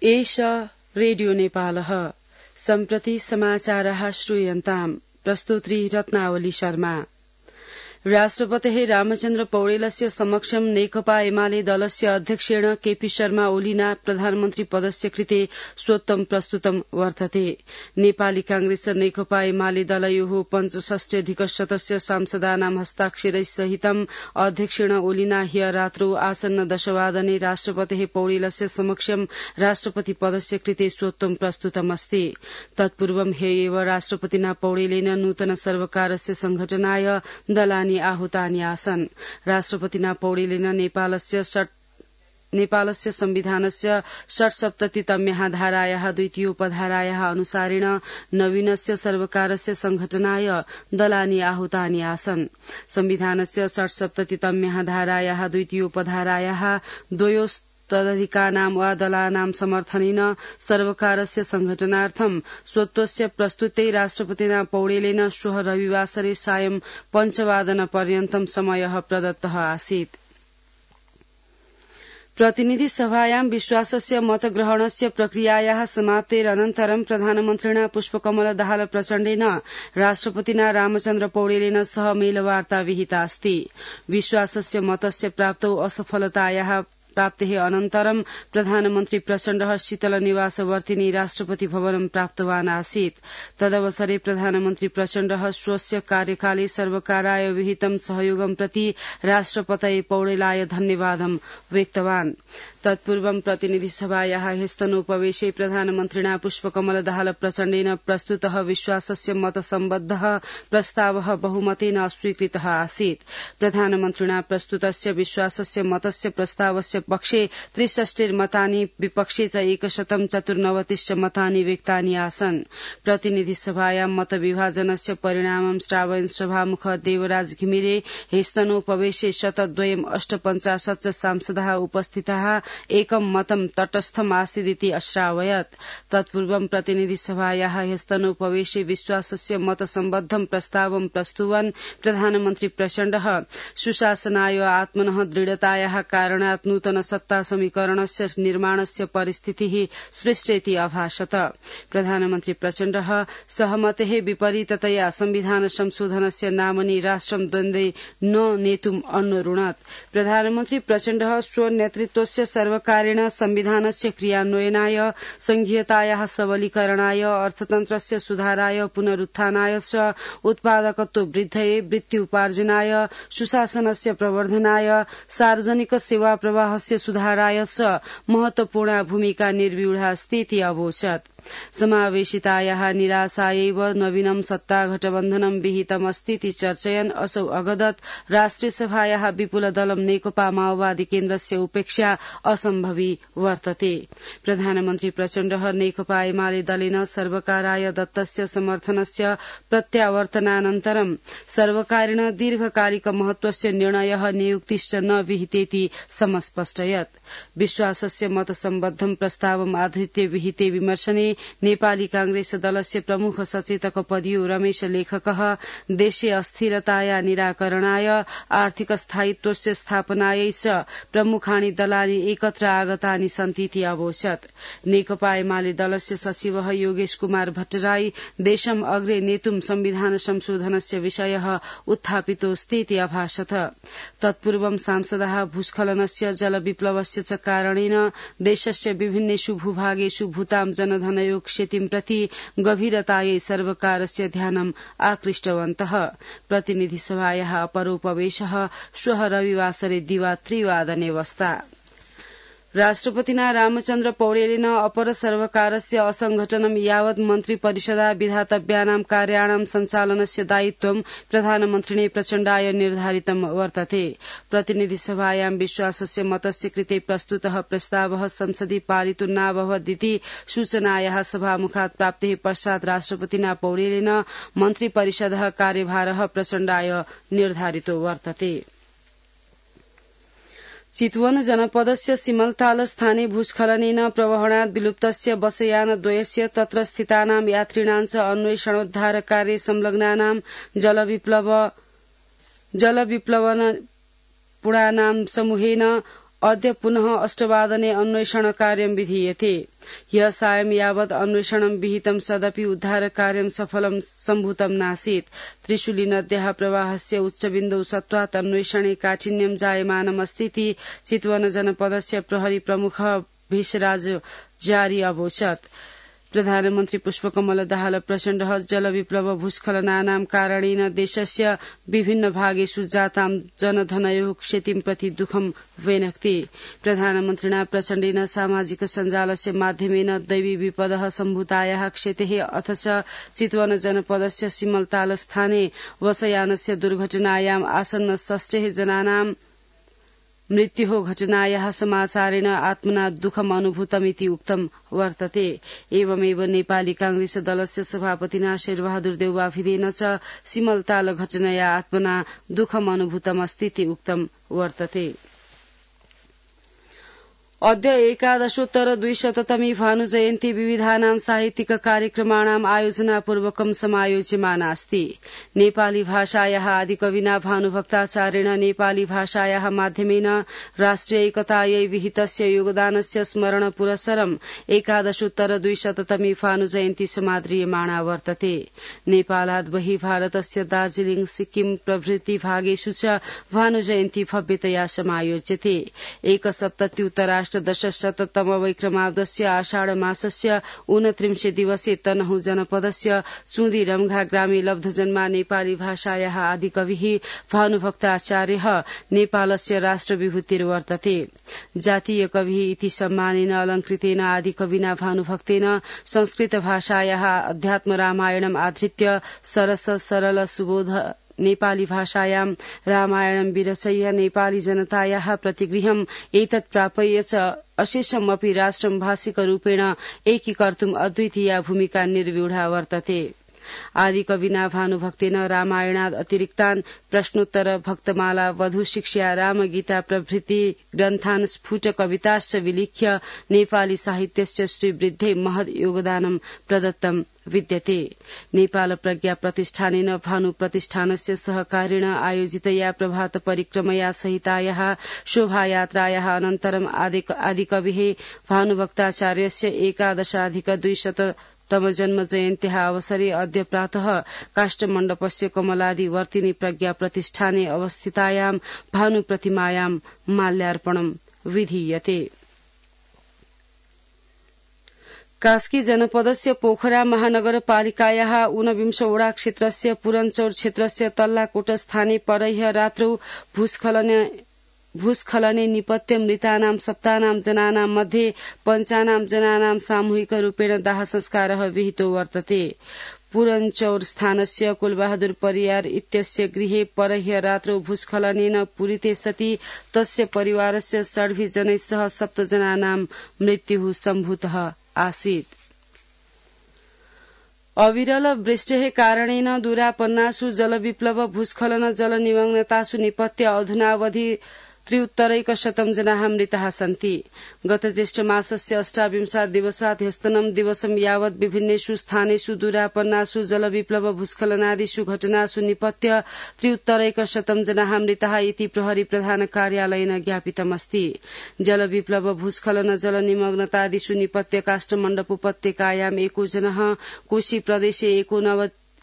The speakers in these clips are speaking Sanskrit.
एष रेडियो नेपालः सम्प्रति समाचारः श्रूयन्ताम् प्रस्तुत्री रत्नावली शर्मा। राष्ट्रपतेः रामचन्द्र पौडेलस्य समक्षं नेकपा एमाले दलस्य अध्यक्षेण केपी शर्मा ओलीना प्रधानमन्त्री पदस्य कृते स्वोत्तम प्रस्तुतं वर्तते। नेपाली कांग्रेस नेकपा एमाले दलयोः 65+ सांसदानां हस्ताक्षरैसहितं अध्यक्षेण ओलीना ह्य रात्रौ आसन्न 10:00 राष्ट्रपतेः पौडेलस्य समक्षं राष्ट्रपति पदस्य कृते स्वोत्तम प्रस्तुतमस्ति। तत्पूर्वं ह्य एव राष्ट्रपतिना पौडेलेन नूतन सर्वकारस्य संघटनाय दलानि आहूतानि आसन्। राष्ट्रपतिना पौडेलेन नेपालस्य संविधानस्य 67तम्याः धारायाः द्वितीयोपधारायाः अनुसारेण नवीनस्य सर्वकारस्य संघटनाय दलानि आहूतानि आसन्। संविधानस्य 67तम्याः धारायाः द्वितीयोपधारायाः तदधिकानां वा दलानां समर्थनेन सर्वकारस्य संघटनार्थं स्वत्वस्य प्रस्तुते राष्ट्रपतिना पौडेलेन श्वः रविवासरे सायं 5:00 समयः प्रदत्तः आसीत्। प्रतिनिधि सभायां विश्वासस्य मतग्रहणस्य प्रक्रियायाः समाप्तेरनन्तरं प्रधानमन्त्रिणा पुष्पकमल दाहाल प्रचण्डेन राष्ट्रपतिना रामचन्द्र पौडेलेन सह मेलवार्ता विहिता अस्ति। विश्वासस्य मतस्य प्राप्तौ असफलतायाः प्राप्तेः अनन्तरं प्रधानमन्त्री प्रचण्डः शीतल निवासवर्तिनी राष्ट्रपति भवनं प्राप्तवान् आसीत्। तदवसरे प्रधानमन्त्री प्रचण्डः स्वस्य कार्यकाले सर्वकाराय विहितं सहयोगं प्रति राष्ट्रपतये पौडेलाय धन्यवादं व्यक्तवान्। तत्पूर्वं प्रतिनिधि सभायाः ह्यस्तनोपवेशे प्रधानमन्त्रिणा पुष्पकमल दाहाल प्रचण्डेन प्रस्तुतः विश्वासस्य मतसम्बद्धः प्रस्तावः बहुमतेन अस्वीकृतः आसीत्। प्रधानमन्त्रिणा प्रस्तुतस्य विश्वासस्य मतस्य प्रस्तावस्य पक्षे 63 मतानि विपक्षे च 194 मतानि व्यक्तानि आसन्। प्रतिनिधि सभायां मतविभाजनस्य परिणामं श्रावयन् सभामुख देवराज घिमिरे ह्यस्तनोपवेशे 102 सांसदाः उपस्थिताः एकं मतं तटस्थम् आसीदिति अश्रावयत्। तत्पूर्वं प्रतिनिधि सभायाः ह्यस्तनोपवेशे विश्वासस्य मतसम्बद्धं प्रस्तावं प्रस्तुवन् प्रधानमन्त्री प्रचण्डः सुशासनाय आत्मनः दृढतायाः कारणात् नूतन सत्ता समीकरणस्य निर्माणस्य परिस्थितिः सृष्टेति अभाषत। प्रधानमन्त्री प्रचण्डः सहमतेः विपरीततया संविधान संशोधनस्य नामनि राष्ट्रं द्वन्द्वे न नेतुम् अन्वरुणत्। प्रधानमन्त्री प्रचण्डः स्वनेतृत्वस्य सर्वकारेण संविधानस्य क्रियान्वयनाय संघीयतायाः सबलीकरणाय अर्थतन्त्रस्य सुधाराय पुनरुत्थानाय च उत्पादकत्व वृद्धये वृत्ति उपार्जनाय सुशासनस्य प्रवर्धनाय सार्वजनिक सेवा प्रवाहस्य सुधाराय च महत्वपूर्णा भूमिका निर्व्यूढा अस्तीति अवोचत्। समावेशितायाः निराशायैव नवीनं सत्ता गठबन्धनं विहितमस्तीति चर्चयन् असौ अगदत् राष्ट्रिय सभायाः विपुल दलं नेकपा माओवादी केन्द्रस्य उपेक्षा असम्भवी वर्तते। प्रधानमन्त्री प्रचण्डः नेकपा एमाले दलेन सर्वकाराय दत्तस्य समर्थनस्य प्रत्यावर्तनानन्तरं सर्वकारेण दीर्घकालिक महत्वस्य निर्णयः नियुक्तिश्च न विहितेति समस्पष्टयत्। विश्वासस्य मतसम्बद्धं प्रस्तावम् आधृत्य विहिते विमर्शने नेपाली कांग्रेस दलस्य प्रमुख सचेतक पदियो रमेश लेखकः देशे अस्थिरताया निराकरणाय आर्थिक स्थायित्वस्य स्थापनायै च प्रमुखाणि दलानि एकत्र आगतानि सन्तीति अवोचत्। नेकपा एमाले दलस्य सचिवः योगेश कुमार भट्टराई देशम् अग्रे नेतुं संविधान संशोधनस्य विषयः उत्थापितोऽस्तीति अभाषत। तत्पूर्वं सांसदाः भूस्खलनस्य जलविप्लवस्य च कारणेन देशस्य विभिन्नेषु भूभागेषु भूतां जनधनयोग क्षतिं प्रति गभीरतायै सर्वकारस्य ध्यानम् आकृष्टवन्तः। प्रतिनिधि सभायाः अपरोपवेशः श्वः रविवासरे दिवा 3:00 वस्ता। राष्ट्रपतिना रामचन्द्र पौडेलेन अपर सर्वकारस्य असंघटनं यावत् मन्त्री परिषदा विधातव्यानां कार्याणां सञ्चालनस्य दायित्वं प्रधानमन्त्रिणे प्रचण्डाय निर्धारितं वर्तते। प्रतिनिधि सभायां विश्वासस्य मतस्य कृते प्रस्तुतः प्रस्तावः संसदि पारितो नाभवदिति सूचनायाः सभामुखात् प्राप्तेः पश्चात् राष्ट्रपतिना पौडेलेन मन्त्री परिषदः कार्यभारः प्रचण्डाय निर्धारितो वर्तते। चितवन जनपदस्य सिमलताल स्थाने भूस्खलनेन प्रवहणात् विलुप्तस्य बसयानद्वयस्य तत्र स्थितानां यात्रिणां च अन्वेषणोद्धार कार्ये संलग्नानां जलविप्लवन पुणानां समूहेन अद्य पुनः 8:00 अन्वेषण कार्यं विधीयते। ह्यः सायं यावत् अन्वेषणं विहितं सदपि उद्धारकार्यं सफलं सम्भूतं नासीत्। त्रिशूली नद्याः प्रवाहस्य उच्चबिन्दौ सत्त्वात् अन्वेषणे काठिन्यं जायमानमस्तीति चितवन जनपदस्य प्रहरी प्रमुखः भेषराज जारी अवोचत्। प्रधानमन्त्री पुष्पकमल दाहाल प्रचण्डः जलविप्लव भूस्खलनानां कारणेन देशस्य विभिन्न भागेषु जातां जनधनयोः क्षतिं प्रति दुःखं व्यनक्ति। प्रधानमन्त्रिणा प्रचण्डेन सामाजिक सञ्जालस्य माध्यमेन दैवी विपदः सम्भूतायाः क्षतेः अथ च चितवन जनपदस्य सिमलताल स्थाने बसयानस्य दुर्घटनायाम् आसन्न 6 जनानां मृत्युः घटनायाः समाचारेण आत्मना दुःखम् अनुभूतमिति उक्तं वर्तते। एवमेव नेपाली कांग्रेस दलस्य सभापतिना शेरबहादुर देउवाफिदेन च सिमलताल घटनया आत्मना दुःखम् अनुभूतमस्तीति उक्तं वर्तते। अद्य 11,200तमी भानुजयन्ती विविधानां साहित्यिक कार्यक्रमाणाम् आयोजनापूर्वकं समायोज्यमाना अस्ति। नेपाली भाषायाः आदिकविना भानुभक्ताचार्येण नेपाली भाषायाः माध्यमेन राष्ट्रिय एकतायै विहितस्य योगदानस्य स्मरण पुरस्सरम् 11,200तमी भानुजयन्ती समाद्रियमाणा वर्तते। नेपालात् बहिः भारतस्य दार्जीलिङ सिक्किम प्रभृति भागेषु च भानुजयन्ती भव्यतया समायोज्यते। दशशततम वैक्रमाब्दस्य आषाढ मासस्य 29 दिवसे तनहु जनपदस्य चुदी रम्घा ग्रामे लब्धजन्मा नेपाली भाषायाः आदिकविः भानुभक्ताचार्यः नेपालस्य राष्ट्रविभूतिर्वर्तते। जातीय कविः इति सम्मानेन अलङ्कृतेन आदिकविना भानुभक्तेन संस्कृत भाषायाः अध्यात्म रामायणम् आधृत्य सरस सरल सुबोध नेपाली भाषायां रामायणं विरचय्य नेपाली जनतायाः प्रतिगृहम् एतत् प्रापय्य च अशेषमपि राष्ट्रं भाषिकरूपेण एकीकर्तुम् अद्वितीया भूमिका निर्व्यूढा वर्तते। आदिकविना भानुभक्तेन रामायणाद् अतिरिक्तान् प्रश्नोत्तर भक्तमाला वधूशिक्षा रामगीता प्रभृति ग्रन्थान् स्फुट कविताश्च विलिख्य नेपाली साहित्यस्य श्रीवृद्धे महद् योगदानं प्रदत्तं विद्यते। नेपाल प्रज्ञा प्रतिष्ठानेन भानु प्रतिष्ठानस्य सहकारेण आयोजितया प्रभात परिक्रमया सहितायाः शोभायात्रायाः अनन्तरम् आदिकविः भानुभक्ताचार्यस्य 11,200तम जन्म जयन्त्याः अवसरे अद्य प्रातः काष्ठमण्डपस्य कमलादि वर्तिनी प्रज्ञा प्रतिष्ठाने अवस्थितायां भानु प्रतिमायां माल्यार्पणं विधीयते। कास्की जनपदस्य पोखरा महानगरपालिकायाः 49 वडा क्षेत्रस्य पुरञ्चौर क्षेत्रस्य तल्लाकोट स्थाने परह्य रात्रौ भूस्खलने निपत्य मृतानां सप्तानां जनानां मध्ये 5 जनानां सामूहिक रूपेण दाह संस्कारः विहितो वर्तते। पुरञ्चौर स्थानस्य कुलबहादुर परियार इत्यस्य गृहे परह्य रात्रौ भूस्खलनेन पूरिते सति तस्य परिवारस्य 6 जनैः 7 जनानां मृत्युः सम्भूतः आसीत्। अविरल वृष्टेः कारणेन दूरापन्नासु जलविप्लव भूस्खलन जलनिमग्नतासु निपत्य अधुनावधि 3,100 जनाः मृताः सन्ति। गत ज्येष्ठ मासस्य 28 दिवसात् ह्यस्तनं दिवसं यावत् विभिन्नेषु स्थानेषु दूरापन्नासु जलविप्लव भूस्खलनादिषु घटनासु निपत्य 3,100 जनाः मृताः इति प्रहरी प्रधान कार्यालयेन ज्ञापितमस्ति। जलविप्लव भूस्खलन जलनिमग्नतादिषु निपत्य काष्ठमण्डप उपत्यकायाम् 1 जनः, कोशी प्रदेशे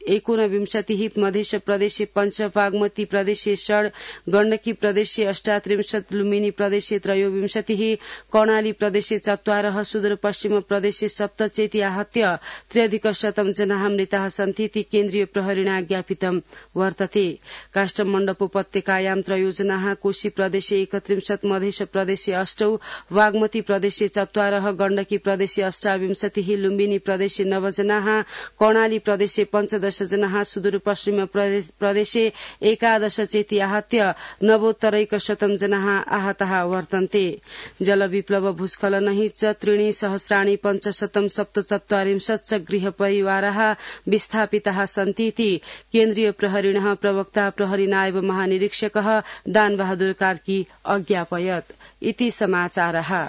29, मध्य प्रदेशे 5, बागमती प्रदेशे 6, गण्डकी प्रदेशे 38, लुम्बिनी प्रदेशे 23, कर्णाली प्रदेशे 4, सुदूरपश्चिम प्रदेशे 7 चेति आहत्य 3,100 जनाः मृताः सन्तीति केन्द्रीय प्रहरिणा ज्ञापितं वर्तते। काष्ठमण्डप उपत्यकायां 3 जनाः, कोशी प्रदेशे 31, मध्य प्रदेशे 8, बागमती प्रदेशे 4, गण्डकी प्रदेशे 28, लुम्बिनी प्रदेशे 9 जनाः, कर्णाली प्रदेशे 15 जनाः, सुदूरपश्चिम प्रदेशे 11 चेति आहत्य 9,100 जनाः आहताः वर्तन्ते। जलविप्लव भूस्खलनैः च 3,547 गृहपरिवाराः विस्थापिताः सन्तीति केन्द्रीय प्रहरिणः प्रवक्ता प्रहरी नायब महानिरीक्षकः दानबहादुर कार्की अज्ञापयत्। इति समाचारः।